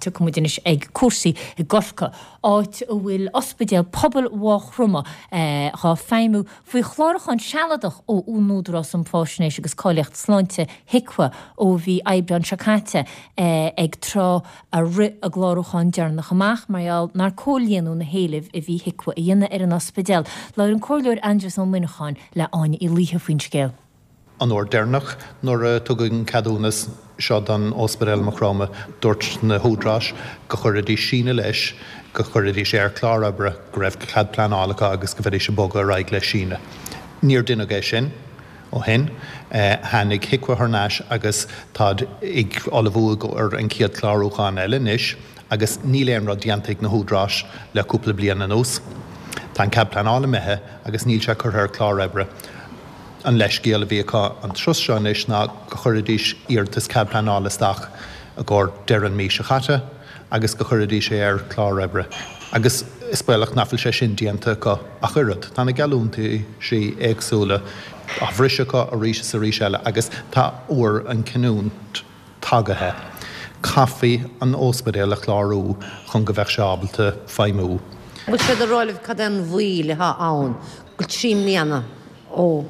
tiocfaidh muid anois ag cúrsaí i gCorcaigh, áit a bhfuil Ospidéal Pobail Mhaigh Chromtha dhá feidhmiú faoi chlárúchán sealadach ó Údarás um Fáisnéis agus Cáilíocht Sláinte, HIQA, ó mhí Aibreáin seo caite, ag tráth a rith a gclárúchán deireanach amach mar gheall nár comhlíonadh na héilimh a bhí HIQA a dhéanamh ar an ospidéal. Labhair an Comhairleoir Aindrias Ó Muineacháin le Áine Uí Laoithe faoin scéal. An uair deireanach nuair a tugadh an ceadúnas seo don Ospidéal i Maigh Chromtha, dúirt na húdaráis go chuirfidís síneadh leis, go chuirfidís é ar chlár oibre, go raibh cead pleanála acu agus go mbeidís ag bogadh ar aghaidh le síneadh. Níor deineadh é sin ó shin. Tháinig HIQA thar n-ais agus táid ag ullmhú i gcomhair an chéad chlárúchán eile anois agus níl aon rud déanta ag na húdaráis le cúpla bliain anuas. Tá an cead pleanála imithe agus níl sé curtha ar chlár oibre. An leithscéal a bhí acu an turas seo anois ná go chuirfidís iarratas cead pleanála isteach i gcomhair deireadh an mhí seo chaite agus go chuirfidís é ar chlár oibre agus is baolach nach bhfuil sé sin déanta acu ach oiread. Tá na geallúintisí éagsúla á bhriseadh acu arís is arís eile agus tá uair an chinniúint tagaithe. Caithfí an óspidéal a chlárú chun go bheadh sé ábalta feidhmiú. Bhfuil siad ag rá libh cad é an mhoill atá ann go 3 mbliana ó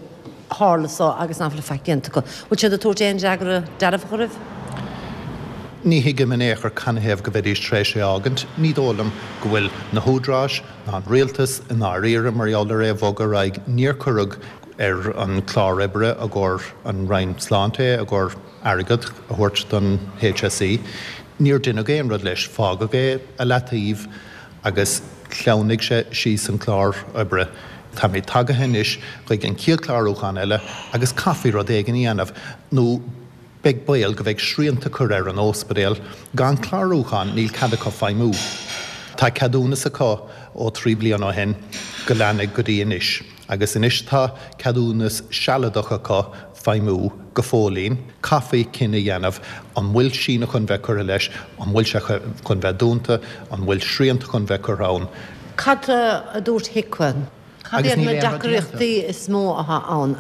tharla so agus nach bhfuil faic déanta acu? Bhfuil siad ag tabhairt aon fhreagra dearfach oraibh? Ní thuigim in aon chor canathaobh go mbeidís tar éis é a fhágaint. Ní dóigh liom go bhfuil na húdaráis ná an rialtas i ndáiríre mar gheall ar é a bhogadh ar aghaidh. Níor cuireadh ar an chlár oibre i gcomhair an Roinn Sláinte é, i gcomhair airgead a thabhairt don HSE. Níor deineadh aon rud leis. Fágadh é i leataobh agus shleamhnaigh sé síos an clár oibre. Táimid tagaithe anois chuig an chéad chlárúchán eile agus caithfí rud éigin a dhéanamh nó beidh baol go mbeidh srianta curtha ar an óspidéal. Gan clárúchán níl cead acu feidhmiú. Tá ceadúnas acu ó 3 bliana ó shin go leanfaidh go dtí anois. Agus anois tá ceadúnas sealadach acu feidhmiú go fóillín. Caithfí cinneadh a dhéanamh, an bhfuil síneadh chun bheith curtha leis, an bhfuil sé chun bheith dúnta, an bhfuil srianta chun bheith curtha ann. Cad a dúirt HIQA? Cad Agus iad níl na aon rud déanta. deacrachtaí is mó atá ann?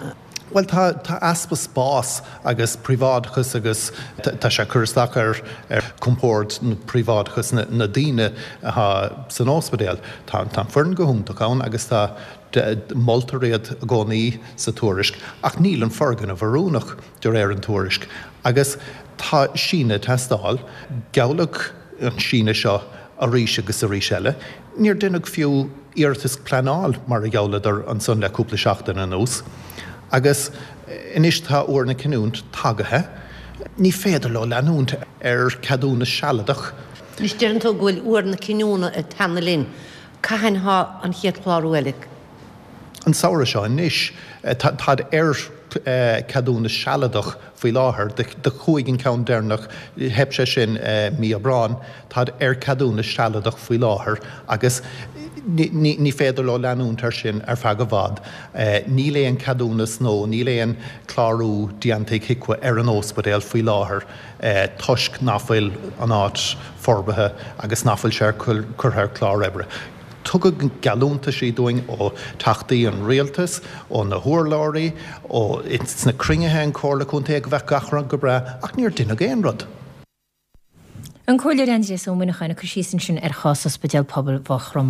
Bhuel, tá, tá easpa spás agus príobháideachas agus tá sé ag cur isteach ar, ar chompord nó príobháideachas na, na daoine atá san óspidéal. Tá, tá an foireann go hiontach ann agus tá, moltar iad i gcónaí sa tuairisc ach níl an foirgneamh oiriúnach de réir an tuairisc agus tá síneadh ag teastáil. Gealladh an síneadh seo arís agus arís eile. Níor deineadh fiú iarratas pleanáil mar a ghealladar ansan le cúpla seachtain anuas. Agus anois tá uair na cinniúint tagaithe. Ní féidir leo leanúint ar ceadúnas sealadach. Anois deireann tú go bhfuil uair na cinniúna ag teannadh linn. Cathain thá an chéad chlárú eile? An samhradh seo anois. Táid ar ceadúnas sealadach faoi láthair. Do chuaigh an ceann deireanach, theip sé sin mí Aibreáin. Táid ar ceadúnas sealadach faoi láthair agus ní féidir leo leanúint air sin ar feadh i bhfad. Níl aon ceadúnas nó níl aon chlárú déanta ag HIQA ar an óspidéal faoi láthair. toisc nach bhfuil an áit forbartha agus nach bhfuil sé curtha ar chlár oibre. Tugadh geallúntaisí dúinn ó Theachtaí an Rialtais, ó na hurlabhraí, ó sna cruinnithe an Chomhairle Contae go bheadh gach rud go breá ach níor deineadh aon rud. An Comhairleoir Aindrias Ó Muineacháin ag cur síos ansin ar chás Ospidéal Pobail Mhaigh Chromtha.